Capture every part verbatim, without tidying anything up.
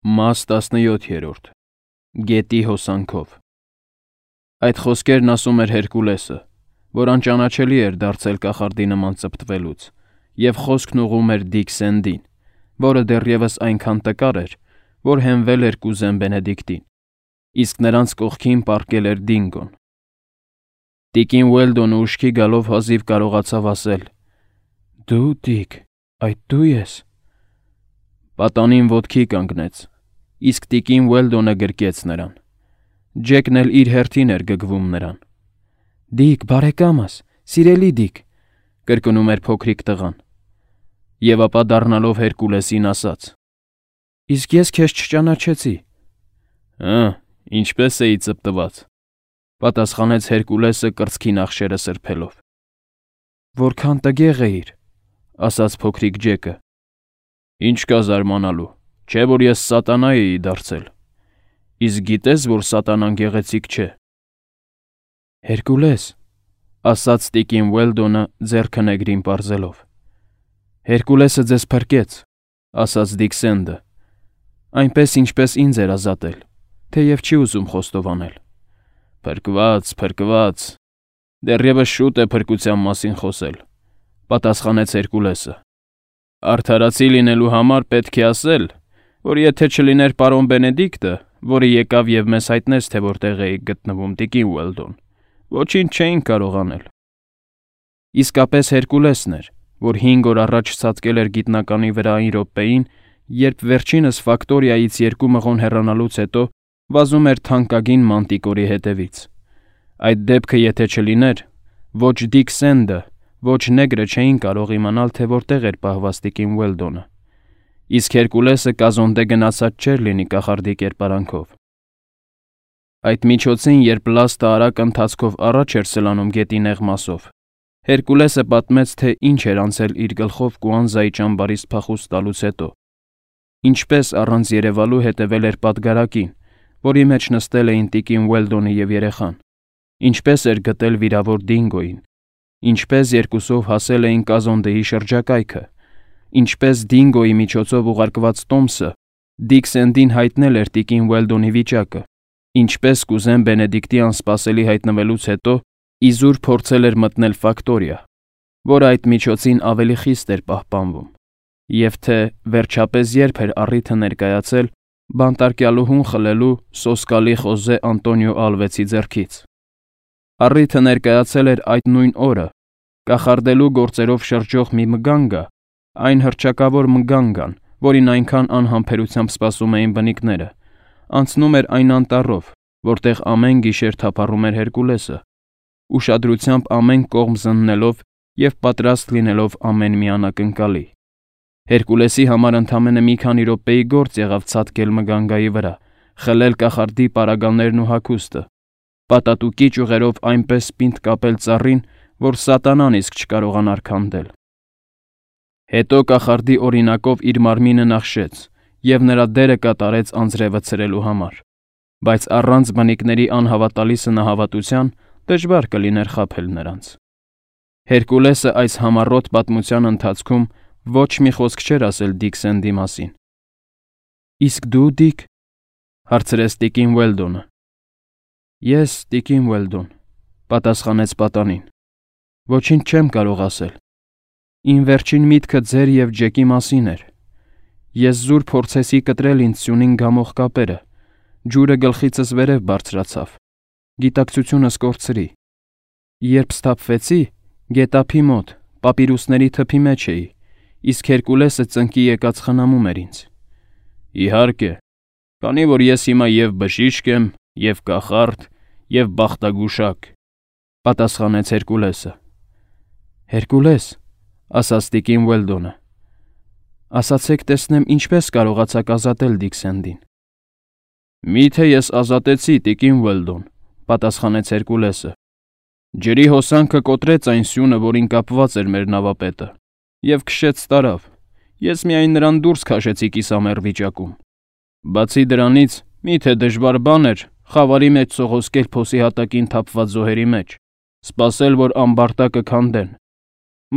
Մաս տասնյոթ Գետի հոսանքով Այդ խոսքերն ասում էր Հերկուլեսը, որ անճանաչելի էր դարձել կախարդի նման ծպտվելուց, և խոսքն ուղղում էր Դիքսենդին, որը դեռևս այնքան տկար էր, որ հենվել էր կուզեն Բենեդիկտին, իսկ նրանց կողքին պառկել էր Դինգոն։ Տիկին Ուելդոնը ուշքի գալով հազիվ կարողացավ ասել. «Դու, Դիկ, այդ դու ես»։ Պատանին ոտքի կանգնեց, իսկ տիկին Ուելդոնը գրկեց նրան։ Ջեկն էլ իր հերթին էր գգվում նրան։ «Դիկ, բարեկամս, սիրելի Դիկ», կրկնում էր փոքրիկ տղան, և ապա դառնալով Հերկուլեսին ասաց. «Իսկ ես քեզ չճանաչեցի»։ «Հը, ինչպես էի ծպտված», պատասխանեց Հերկուլեսը կրծքի նախշերը սրբելով։ «Որքան տգեղ էիր», ասաց փոքրիկ Ջեկը։ «Ինչ կա զարմանալու, չէ՞ որ ես սատանա էի դարձել։ Իսկ գիտե՞ս, որ սատանան գեղեցիկ չէ»։ «Հերկուլես», ասաց տիկին Ուելդոնը ձեռքը նեգրին պարզելով։ «Հերկուլեսը ձեզ փրկեց», ասաց Դիքսենդը, «այնպես, ինչպես ինձ էր ազատել, թեև չի ուզում խոստովանել»։ «Փրկված, փրկված, դեռևս շուտ է փրկության մասին խոսել», պատասխանեց Հերկուլեսը։ «Արդարացի լինելու համար պետք է ասել, որ եթե չլիներ պարոն Բենեդիկտը, որը եկավ և մեզ հայտնեց, թե որտեղ էիք գտնվում, տիկին Ուելդոն, ոչինչ չէինք կարող անել»։ Իսկապես Հերկուլեսն էր, որ հինգ օր առաջ ցատկել էր գիտնականի վրա այն րոպեին, երբ վերջինս Ֆակտորիայից երկու մղոն հեռանալուց հետո վազում էր թանկագին Մանտիկորի հետևից։ Այդ դեպքը եթե չլիներ, ոչ Դիքսենդը, ոչ նեգրը չէին կարող իմանալ, թե որտեղ էր պահված տիկին Ուելդոնը, իսկ Հերկուլեսը կազոնդե գնացած չէր լինի կախարդի կերպարանքով։ Այդ միջոցին, երբ լաստը արագ ընթացքով առաջ էր սլանում գետի նեղ մասով, Հերկուլեսը պատմեց, թե ինչ էր անցել իր գլխով Կուանզայի ճամբարից փախուստ տալուց հետո, ինչպես առանց երևալու հետևել էր պատգարակին, որի մեջ նստել էին տիկին Ուելդոնը և երեխան, ինչպես էր գտել վիրավոր Դինգոյին, ինչպես երկուսով հասել էին կազոնդեի շրջակայքը, ինչպես Դինգոյի միջոցով ուղարկված տոմսը Դիքսենդին հայտնել էր տիկին Ուելդոնի վիճակը, ինչպես կուզեն Բենեդիկտի անսպասելի հայտնվելուց հետո իզուր փորձել էր մտնել Ֆակտորիա, որը այդ միջոցին ավելի խիստ էր պահպանվում, և թե վերջապես երբ էր առիթը ներկայացել բանտարկյալուհուն խլելու սոսկալի Խոզե Անտոնիո Ալվեցի ձեռքից։ Առիթը ներկայացել էր այդ նույն օրը, կախարդելու գործերով շրջող մի մգանգա, այն հռչակավոր մգանգան, որին այնքան անհամբերությամբ սպասում էին բնիկները, անցնում էր այն անտառով, որտեղ ամեն գիշեր թափառում էր Հերկուլեսը, ուշադրությամբ ամեն կողմ զննելով և պատրաստ լինելով ամեն մի անակնկալի։ Հերկուլեսի համար ընդամենը մի քանի րոպեի գործ եղավ ցատկել մգանգայի վրա, խլել կախարդի պարագաներն ու հագուստը, պատատուկի ճյուղերով այնպես պինդ կապել ծառին, որ սատանան իսկ չկարողանար քանդել։ Հետո կախարդի օրինակով իր մարմինը նախշեց և նրա դերը կատարեց անձրևը ցրելու համար, բայց առանց բնիկների անհավատալի սնահավատության դժվար կլիներ խաբել նրանց։ Հերկուլեսը այս համառոտ պատմության ընթացքում ոչ մի խոսք չէր ասել Դիքսենդի մասին։ «Իսկ դու, Դիկ», հարցրեց տիկին Ուելդոնը։ «Ես, տիկին Ուելդոն», պատասխանեց պատանին, «ոչինչ չեմ կարող ասել։ Իմ վերջին միտքը ձեր և Ջեկի մասին էր։ Ես զուր փորձեցի կտրել ինձ սյունին գամող կապերը, ջուրը գլխիցս վերև բարձրացավ, գիտակցությունս կորցրի։ Երբ սթափվեցի, գետափի մոտ, պապիրուսների թփի մեջ էի, իսկ Հերկուլեսը ծնկի եկած խնամում էր ինձ»։ «Իհարկե, քանի որ ես հիմա և բժիշկ եմ, և կախարդ, և բախտագուշակ», պատասխանեց Հերկուլեսը։ «Հերկուլես», ասաց տիկին Ուելդոնը, «ասացեք տեսնեմ ինչպես կարողացաք ազատել Դիքսենդին»։ «Միթե ես ազատեցի, տիկին Ուելդոն», պատասխանեց Հերկուլեսը։ «Ջրի հոսանքը կոտրեց այն սյունը, որին կապված էր մեր նավապետը, և քշեց տարավ, ես միայն նրան դուրս քաշեցի կիսամեռ վիճակում։ Բացի դրանից, միթե դժվար բան էր խավարի մեջ սողոսկել փոսի հատակին թափված զոհերի մեջ, սպասել, որ ամբարտակը քանդեն,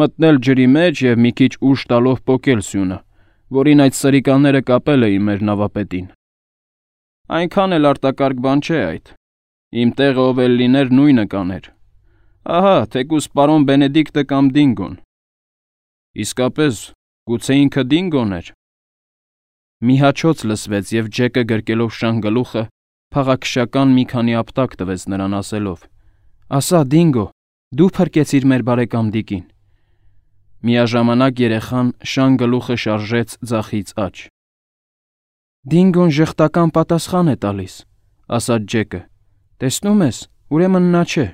մտնել ջրի մեջ և մի քիչ ուժ տալով պոկել սյունը, որին այդ սրիկանները կապել էին մեր նավապետին։ Այնքան էլ արտակարգ բան չէ այդ։ Իմ տեղը ով էլ լիներ նույնը կաներ։ Ահա, թեկուզ պարոն Բենեդիկտը կամ Դինգոն։ Իսկապես, գուցե ինքը Դինգոն էր։ Մի հաչոց լսվեց և Ջեկը գրկելով շան գլուխը փաղաքշական մի քանի ապտակ տվեց նրան ասելով. «Ասա, Դինգո, դու փրկեցիր մեր բարեկամ Դիկին»։ Միաժամանակ երեխան շան գլուխը շարժեց ձախից աջ։ «Դինգոն ժխտական պատասխան է տալիս», ասաց Ջեկը։ «Տեսնում ես, ուրեմն նա չէ։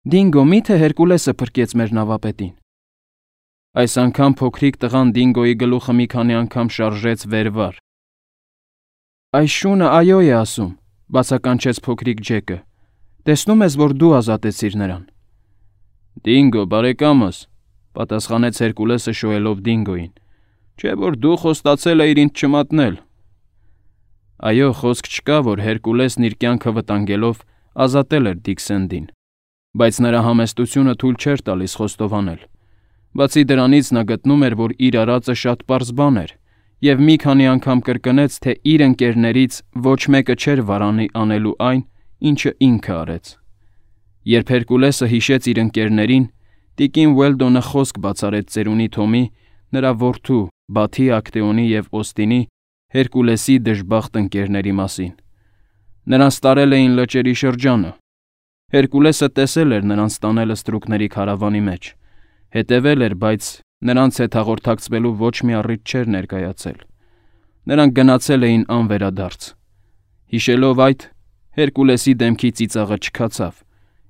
Դինգո, մի՞թե Հերկուլեսը փրկեց մեր նավապետին»։ Այս անգամ փոքրիկ տղան Դինգոյի գլուխը մի քանի անգամ շարժեց վեր-վար։ «Այս շունը այո է ասում», բացականչեց փոքրիկ Ջեկը։ «Տեսնում ես, որ դու ազատեցիր նրան»։ «Դինգո, բարեկամս», պատասխանեց Հերկուլեսը շոյելով Դինգոյին, «չէ՞ որ դու խոստացել էիր ինձ չմատնել»։ Այո, խոսք չկա, որ Հերկուլեսն իր կյանքը վտանգելով ազատել էր Դիքսենդին, բայց նրա համեստությունը թույլ չէր տալիս խոստովանել։ Բացի դրանից նա գտնում էր, որ իր արածը շատ պարզ բան էր, և մի քանի անգամ կրկնեց, թե իր ընկերներից ոչ մեկը չէր վարանի անելու այն, ինչը ինքը արեց։ Երբ Հերկուլեսը հիշեց իր ընկերներին, տիկին Ուելդոնը խոսք բացարեց ծերունի Թոմի, նրա որդու Բաթի, Ակտեոնի և Օստինի, Հերկուլեսի դժբախտ ընկերների մասին։ Նրանց տարել էին լճերի շրջանը։ Հերկուլեսը տեսել էր նրանց տանելը ստրուկների քարավանի մեջ, հետևել էր, բայց նրանց հետ հաղորդակցվելու ոչ մի առիթ չէր ներկայացել։ Նրանք գնացել էին անվերադարձ։ Հիշելով այդ, Հերկուլեսի դեմքի ծիծաղը չքացավ,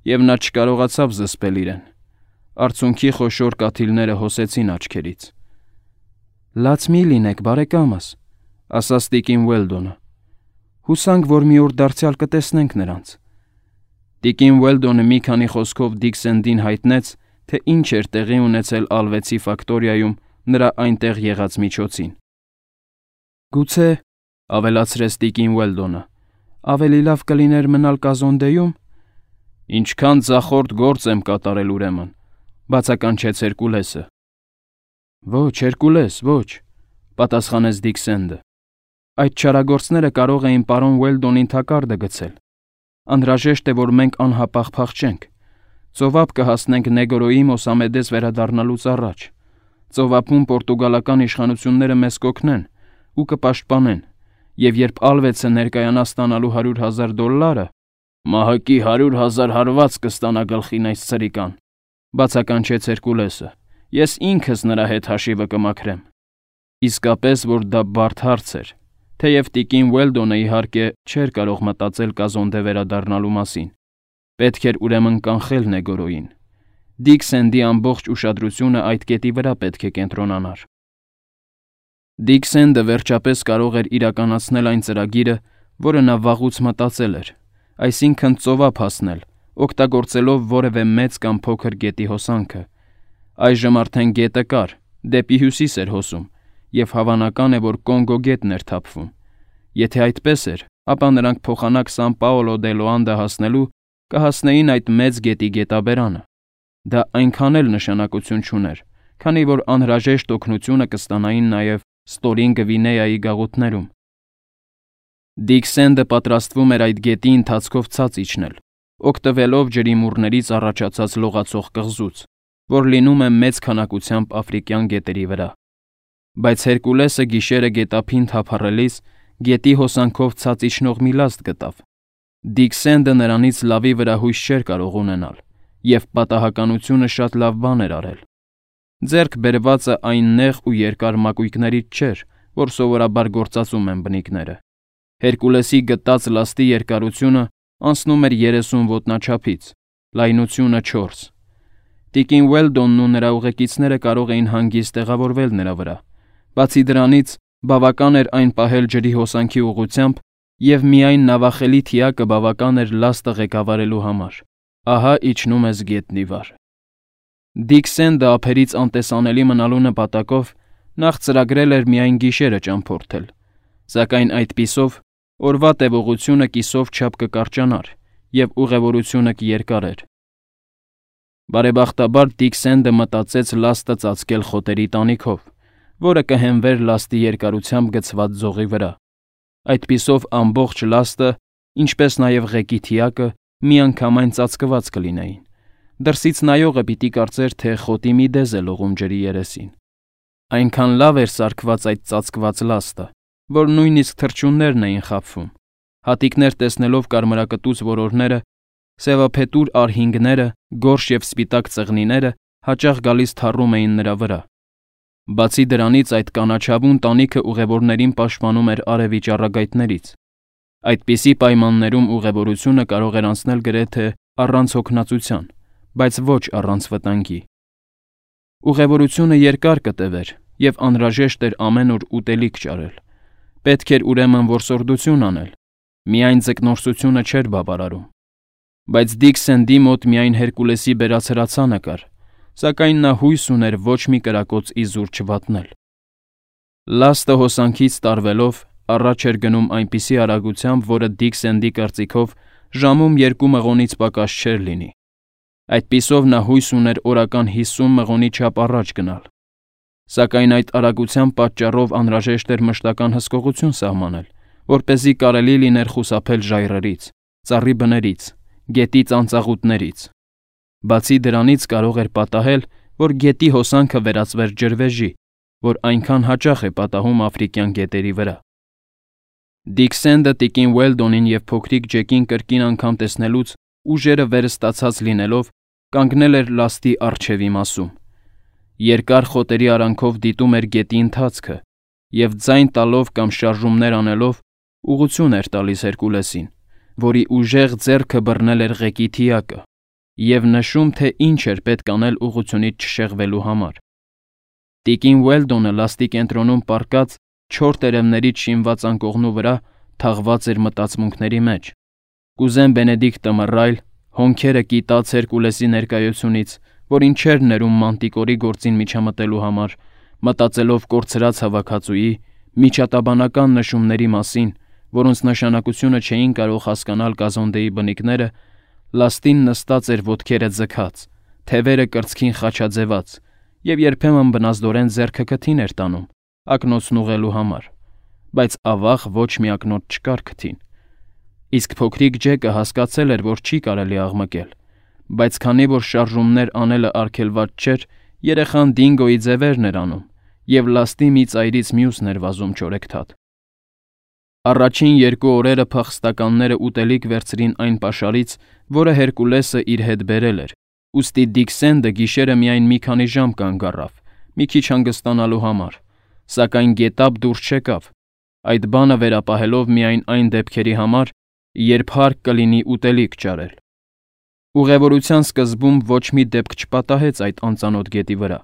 և նա չկարողացավ զսպել իրեն։ Արցունքի խոշոր կաթիլները հոսեցին աչքերից։ «Լաց մի լինեք, բարեկամս», ասաց տիկին Ուելդոնը։ «Հուսանք, որ մի օր դարձյալ կտեսնենք նրանց»։ Տիկին Ուելդոնը մի քանի խոսքով Դիքսենդին հայտնեց, թե ինչ էր տեղի ունեցել Ալվեցի ֆակտորիայում նրա այնտեղ եղած միջոցին։ «Գուցե», ավելացրեց տիկին Ուելդոնը, «ավելի լավ կլիներ մնալ Կազոնդեյում»։ «Ինչքան ձախորդ գործ եմ կատարել ուրեմն», բացականչեց Հերկուլեսը։ «Ոչ, Հերկուլես, ոչ», պատասխանեց Դիքսենդը։ «Այդ չարագործները կարող էին պարոն Ուելդոնին թակարդը գցել։ Անհրաժեշտ է, որ մենք անհապաղ փախչենք։ Ծովափ կհասնենք Նեգորոյի Մոսամեդես վերադառնալուց առաջ։ Ծովափում պորտուգալական իշխանությունները մեզ կօգնեն ու կպաշտպանեն, և երբ Ալվեցը ներկայանա ստանալու հարյուր հազար դոլարը, մահակի հարյուր հազար հարված կստանա գլխին այս սրիկան», բացականչեց Հերկուլեսը։ «Ես ինքս նրա հետ հաշիվը կմաքրեմ»։ Իսկապես, որ դա բարդ հարց էր, թեև տիկին Ուելդոնը, իհարկե, չէր կարող մտածել Կազոնդե վերադառնալու մասին։ Պետք էր ուրեմն կանխել Նեգորոյին։ Դիքսենդի ամբողջ ուշադրությունը այդ կետի վրա պետք է կենտրոնանար։ Դիքսենդը վերջապես կարող էր իրականացնել այն ծրագիրը, որը նա վաղուց մտածել էր, այսինքն ծովափ հասնել, օգտագործելով որևէ մեծ կամ փոքր գետի հոսանքը։ Այժմ արդեն գետը կար, դեպի հյուսիս էր հոսում, և հավանական է, որ Կոնգո գետն էր թափվում։ Եթե այդպես էր, ապա նրանք փոխանակ Սան Պաոլո դե Լոանդա հասնելու կհասնեին այդ մեծ գետի գետաբերանը։ Դա այնքան էլ նշանակություն չուներ, քանի որ անհրաժեշտ օգնությունը կստանային նաև Ստորին Գվինեայի գաղութներում։ Դիքսենդը պատրաստվում էր այդ գետի ընթացքով ցած իջնել, օգտվելով ջրիմուռներից առաջացած լողացող կղզուց, որ լինում է մեծ քանակությամբ աֆրիկյան գետերի վրա։ Բայց Հերկուլեսը գիշերը գետափին թափառելիս գետի հոսանքով ցած իջնող մի լաստ գտավ։ Դիքսենդը նրանից լավի վրա հույս չէր կարող ունենալ, և պատահականությունը շատ լավ բան էր արել։ Ձեռք բերվածը այն նեղ ու երկար մակույկներից չէր, որ սովորաբար գործածում են բնիկները։ Հերկուլեսի գտած լաստի երկարությունը անցնում էր երեսուն ոտնաչափից, լայնությունը չորս։ Տիկին Ուելդոնն ու նրա ուղեկիցները կարող էին հանգիստ տեղավորվել նրա վրա։ Բացի դրանից, բավական էր այն պահել ջրի հոսանքի ուղղությամբ, և միայն նավախելի թիակը բավական էր լաստը ղեկավարելու համար։ Ահա իջնում ես գետնի վար։ Դիքսենդը ափերից անտեսանելի մնալու նպատակով նախ ծրագրել էր միայն գիշերը ճամփորդել, սակայն այդպիսով օրվա տևողությունը կիսով չափ կկարճանար, և ուղևորությունը կերկարեր։ Բարեբախտաբար Դիքսենդը մտածեց լաստը ծածկել խոտերի տանիքով, որը կհենվեր լաստի երկարությամբ գցված ձողի վրա։ Այդպիսով ամբողջ լաստը, ինչպես նաև ղեկի թիակը, միանգամայն ծածկված կլինեին։ Դրսից նայողը պիտի կարծեր, թե խոտի մի դեզ է լողում ջրի երեսին։ Այնքան լավ էր սարքված այդ ծածկված լաստը, որ նույնիսկ թռչուններն էին խաբվում։ Հատիկներ տեսնելով կարմրակտուց որորները, սևափետուր արհինգները, գորշ և սպիտակ ծղնիները հաճախ գալիս թառում էին նրա վրա։ Բացի դրանից այդ կանաչավուն տանիքը ուղևորներին պաշտպանում էր արևի ճառագայթներից։ Այդպիսի պայմաններում ուղևորությունը կարող էր անցնել գրեթե առանց հոգնածության, բայց ոչ առանց վտանգի։ Ուղևորությունը երկար կտևեր և անհրաժեշտ էր ամեն օր ուտելիք ճարել։ Պետք էր ուրեմն որսորդություն անել, միայն ձկնորսությունը չէր բավարարում։ Բայց Դիկ Սենդի մոտ միայն Հերկուլեսի բերած հրացանը կար, սակայն նա հույս ուներ ոչ մի կրակոց իզուր չվատնել։ Լաստը հոսանքից տարվելով առաջ էր գնում այնպիսի արագությամբ, որը Դիկ Սենդի կարծիքով ժամում երկու մղոնից պակաս չէր լինի։ Այդպիսով նա հույս ուներ օրական հիսուն մղոնի չափ առաջ գնալ։ Սակայն այդ արագության պատճառով անհրաժեշտ էր մշտական հսկողություն սահմանել, որպեսզի կարելի լիներ խուսափել ժայռերից, ծառի բներից, գետի ծանծաղուտներից։ Բացի դրանից կարող էր պատահել, որ գետի հոսանքը վերածվեր ջրվեժի, որ այնքան հաճախ է պատահում աֆրիկյան գետերի վրա։ Դիկ Սենդը տիկին Ուելդոնին և փոքրիկ Ջեկին կրկին անգամ տեսնելուց ուժերը վերստացած լինելով կանգնել էր լաստի առջևի մասում։ Երկար խոտերի արանքով դիտում էր գետի ընթացքը և ձայն տալով կամ շարժումներ անելով ուղղություն էր տալիս Հերկուլեսին, որի ուժեղ ձեռքը բռնել էր ղեկի թիակը և նշում, թե ինչ էր պետք անել ուղղությունից չշեղվելու համար։ Տիկին Ուելդոնը լաստի կենտրոնում պառկած չոր տերևներից շինված անկողնու վրա թաղված էր մտածմունքների մեջ։ Կուզեն Բենեդիկտը մռայլ, հոնքերը կիտած Հերկուլեսի ներկայությունից, որին չէր ներում Մանտիկորի գործին միջամտելու համար, մտածելով կորցրած հավաքածուի, միջատաբանական նշումների մասին, որոնց նշանակությունը չէին կարող հասկանալ Կազոնդեի բնիկները, լաստին նստած էր ոտքերը ձգած, թևերը կրծքին խաչաձևած և երբեմն բնազդորեն ձեռքը քթին էր տանում, ակնոցն ուղղելու համար, բայց ավաղ ոչ մի ակնոց չկար քթին։ Իսկ փոքրիկ Ջեկը հասկացել էր, որ չի կարելի աղմկել, բայց քանի որ շարժումներ անելը արգելված չէր, երեխան Դինգոյի ձևերն էր անում և լաստի մի ծայրից մյուսն էր վազում չորեքթաթ։ Առաջին երկու օրերը փախստականները ուտելիք վերցրին այն պաշարից, որը Հերկուլեսը իր հետ բերել էր, ուստի Դիկ Սենդը գիշերը միայն մի քանի ժամ կանգ առավ, մի քիչ հանգստանալու համար, սակայն գետափ դուրս չեկավ, այդ բանը վերապահելով միայն այն դեպքերի համար, երբ հարկ կլինի ուտելիք ճարել։ Ուղևորության սկզբում ոչ մի դեպք չպատահեց այդ անծանոթ գետի վրա,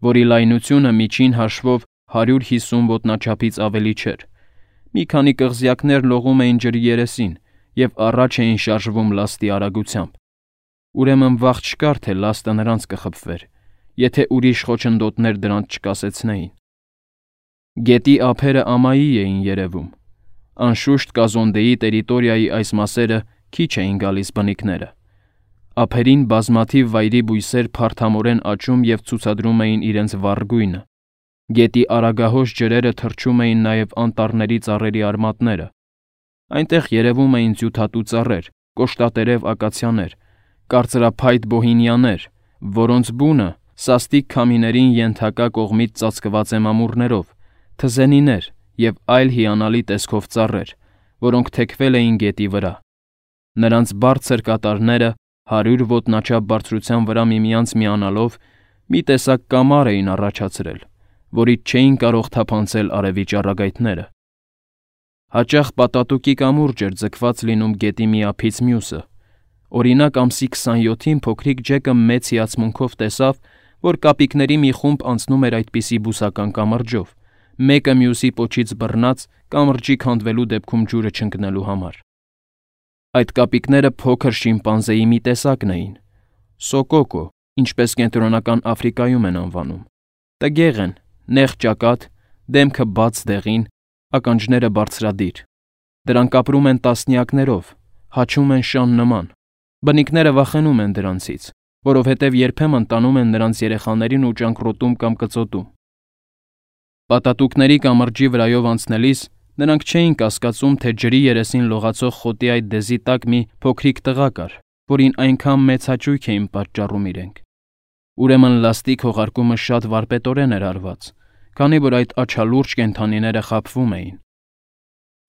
որի լայնությունը միջին հաշվով հարյուր հիսուն ոտնաչափից ավելի չէր։ Մի քանի կղզյակներ լողում էին ջրի երեսին և առաջ էին շարժվում լաստի արագությամբ։ Ուրեմն վաղ չկար, թե լաստը նրանց կխփվեր, եթե ուրիշ խոչընդոտներ դրանց չկասեցնեին։ Գետի ափերը ամայի էին երևում։ Անշուշտ Կազոնդեի տերիտորիայի այս մասերը քիչ էին գալիս բնիկները։ Ափերին բազմաթիվ վայրի բույսեր փարթամորեն աճում և ցուցադրում էին իրենց վառ գույնը։ Գետի արագահոս ջրերը թռչում էին նաև անտառների ծառերի արմատները։ Այնտեղ երևում էին ձյութատու ծառեր, կոշտատերև ակացիաներ, կարծրափայտ բոհինիաներ, որոնց բունը սաստիկ քամիներին ենթակա կողմից ծածկված է մամուռներով, թզենիներ և այլ հիանալի տեսքով ծառեր, որոնք թեքվել էին գետի վրա։ Նրանց բարձր կատարները հարյուր ոտնաչափ բարձրության վրա միմյանց միանալով մի տեսակ կամար էին առաջացրել, որից չէին կարող թափանցել արևի ճառագայթները։ Հաճախ պատատուկի կամուրջ էր ձգված լինում գետի մի ափից մյուսը։ Օրինակ ամսի քսանյոթին փոքրիկ Ջեկը մեծ հիացմունքով տեսավ, որ կապիկների մի խումբ անցնում էր այդպիսի բուսական կամրջով, մեկը մյուսի պոչից բռնած կամրջի քանդվելու դեպքում ջուրը չընկնելու համար։ Այդ կապիկները փոքր շիմպանզեի մի տեսակն էին՝ սոկոկո, ինչպես Կենտրոնական Աֆրիկայում են անվանում։ Տգեղ են, նեղ ճակատ, դեմքը բաց դեղին, ականջները բարձրադիր։ Դրանք ապրում են տասնյակներով, հաչում են շան նման։ Բնիկները վախենում են դրանցից, որովհետև երբեմն տանում են նրանց երեխաներին ու ճանկռոտում կամ կծոտում։ Պատատուկների կամրջի վրայով անցնելիս նրանք չէին կասկածում, թե ջրի երեսին լողացող խոտի այդ դեզի տակ մի փոքրիկ տղա կար, որին այնքան մեծ հաճույք էին պատճառում իրենք։ Ուրեմն լաստիկ հողարկումը շատ վարպետորեն էր արված, քանի որ այդ աչալուրջ կենդանիները խաբվում էին։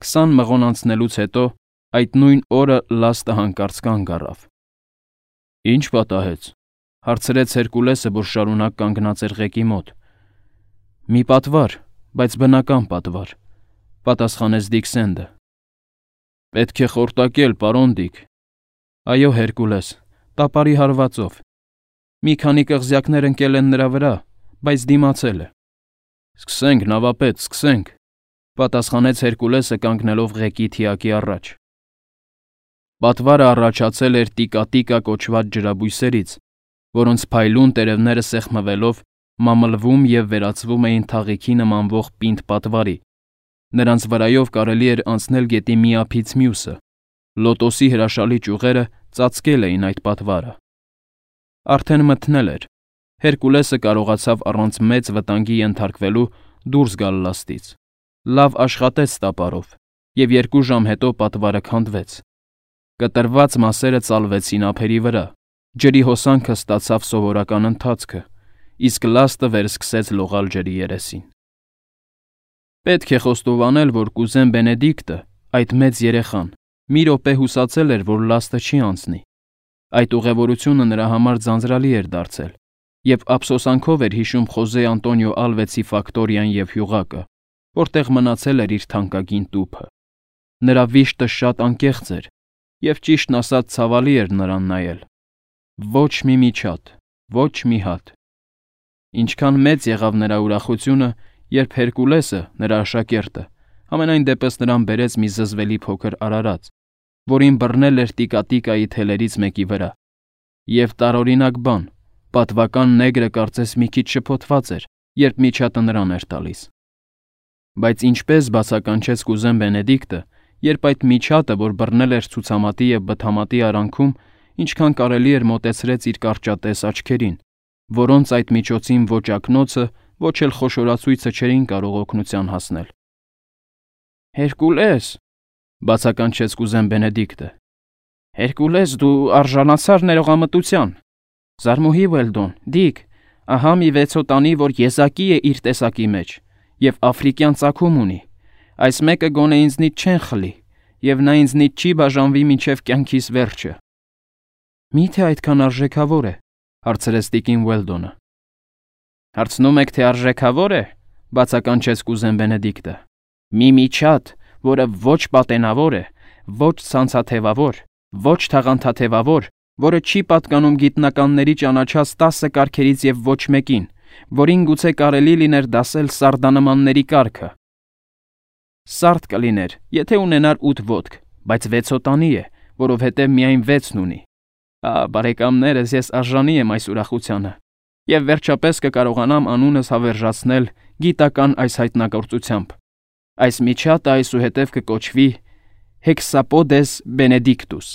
Քսան մղոն անցնելուց հետո այդ նույն օրը լաստը հանկարծ կանգ առավ։ Ինչ պատահեց, հարցրեց Հերկուլեսը, որ շարունակ կանգնած էր ղեկի մոտ։ Մի պատվար, բայց բնական պատվար, պատասխանեց Դիքսենդը։ Պետք է խորտակել, պարոն Դիք։ Այո, Հերկուլես, տապարի հարվածով։ Մի քանի կղզյակներ ընկել են նրա վրա, բայց դիմացել է։ Սկսենք, նավապետ, սկսենք, պատասխանեց Հերկուլեսը կանգնելով ղեկի թիակի առաջ։ Պատվարը առաջացել էր տիկա-տիկա կոչված ջրաբույսերից, որոնց փայլուն տերևները սեղմվելով մամլվում և վերածվում էին թաղիքի նմանվող պինդ պատվարի։ Նրանց վրայով կարելի էր անցնել գետի մի ափից մյուսը։ Լոտոսի հրաշալի ճյուղերը ծածկել էին այդ պատվարը։ Արդեն մթնել էր։ Հերկուլեսը կարողացավ առանց մեծ վտանգի ենթարկվելու դուրս գալ լաստից։ Լավ աշխատեց տապարով, և երկու ժամ հետո պատվարը քանդվեց։ Կտրված մասերը ծալվեցին ափերի վրա, ջրի հոսանքը ստացավ սովորական ընթացքը, իսկ լաստը վերսկսեց լողալ ջրի երեսին։ Պետք է խոստովանել, որ կուզեն Բենեդիկտը, այդ մեծ երեխան, մի րոպե հուսացել էր, որ լաստը չի անցնի։ Այդ ուղևորությունը նրա համար ձանձրալի էր դարձել, և ափսոսանքով էր հիշում Խոզե Անտոնիո Ալվեցի ֆակտորիան և հյուղակը, որտեղ մնացել էր իր թանկագին տուփը։ Նրա վիշտը շատ անկեղծ էր, և ճիշտն ասած ցավալի էր նրան նայել։ Ոչ մի միջատ, ոչ մի հատ։ Ինչքան մեծ եղավ նրա ուրախությունը, երբ Հերկուլեսը, նրա աշակերտը, համենայն դեպս նրան բերեց մի զզվելի փոքր արարած, որին բռնել էր տիկա-տիկայի թելերից մեկի վրա։ Եվ տարօրինակ բան, պատվական նեգրը կարծես մի քիչ շփոթված էր, երբ միջատը նրան էր տալիս։ Բայց ինչպես բացականչեց կուզեն Բենեդիկտը, երբ այդ միջատը, որ բռնել էր ցուցամատի և բթամատի արանքում, ինչքան կարելի էր մոտեցրեց իր կարճատես աչքերին, որոնց այդ միջոցին ոչ ակնոցը, ոչ էլ խոշորացույցը չէին կարող օգնության հասնել։ Հերկուլես, բացականչեց կուզեն Բենեդիկտը։ Հերկուլես, դու արժանացար ներողամտության։ Զարմուհի Ուելդոն, Դիք, ահա մի վեցոտանի, որ եզակի է իր տեսակի մեջ, և աֆրիկյան ծագում ունի։ Այս մեկը գոնե ինձնից չեն խլի, և նա ինձնից չի բաժանվի մինչև կյանքիս վերջը։ Մի՞թե այդքան արժեքավոր է, հարցրեց տիկին Ուելդոնը։ Հարցնում եք, թե արժեքավոր է, բացականչեց կուզեն Բենեդիկտը։ Մի միջատ, որը ոչ պատենավոր է, ոչ ցանցաթևավոր, ոչ թաղանթաթևավոր, որը չի պատկանում գիտնականների ճանաչած տասը կարգերից և ոչ մեկին, որին գուցե կարելի լիներ դասել սարդանմանների կարգը։ Սարդ կլիներ, եթե ունենար ութ ոտք, բայց վեցոտանի է, որովհետև միայն վեցն ունի։ Ա, բարեկամներս, ես արժանի եմ այս ուրախությանը, և վերջապես կկարողանամ անունս հավերժացնել գիտական այս հայտնագործությամբ։ Այս միջատը այսուհետև կկոչվի Hexapodes Benedictus։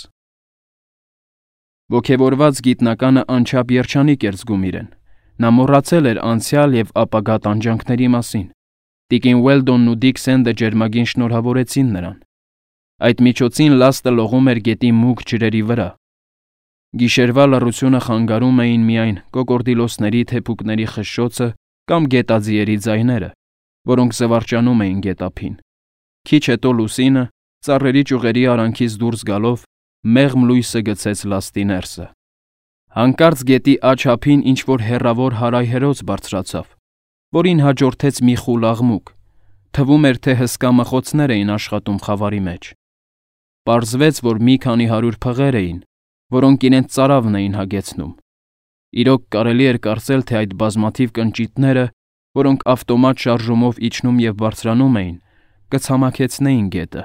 Ոգևորված գիտնականը անչափ երջանիկ էր զգում իրեն։ Նա մոռացել էր անցյալ և ապագա տանջանքների մասին։ Տիկին Ուելդոնն ու Դիքսենդը ջերմագին շնորհավորեցին նրան։ Այդ միջոցին լաստը լողում էր գետի մուգ ջրերի վրա։ Գիշերվա լռությունը խանգարում էին միայն կոկորդիլոսների թեփուկների խշշոցը կամ գետաձիերի ձայները, որոնք զվարճանում էին գետափին։ Քիչ հետո լուսինը, ծառերի ճյուղերի արանքից դուրս գալով, մեղմ լույսը գցեց լաստի ներսը։ Հանկարծ գետի աջ ափին ինչ-որ հեռավոր հարայհերոց բարձրացավ, որին հաջորդեց մի խուլ աղմուկ։ Թվում էր, թե հսկա մխոցներ էին աշխատում խավարի մեջ։ Պարզվեց, որ մի քանի հարյուր փղեր էին, որոնք իրենց ծարավն էին հագեցնում։ Իրոք կարելի էր կարծել, թե այդ բազմաթիվ կնճիթները, որոնք ավտոմատ շարժումով իջնում և բարձրանում էին, կցամաքեցնեին գետը։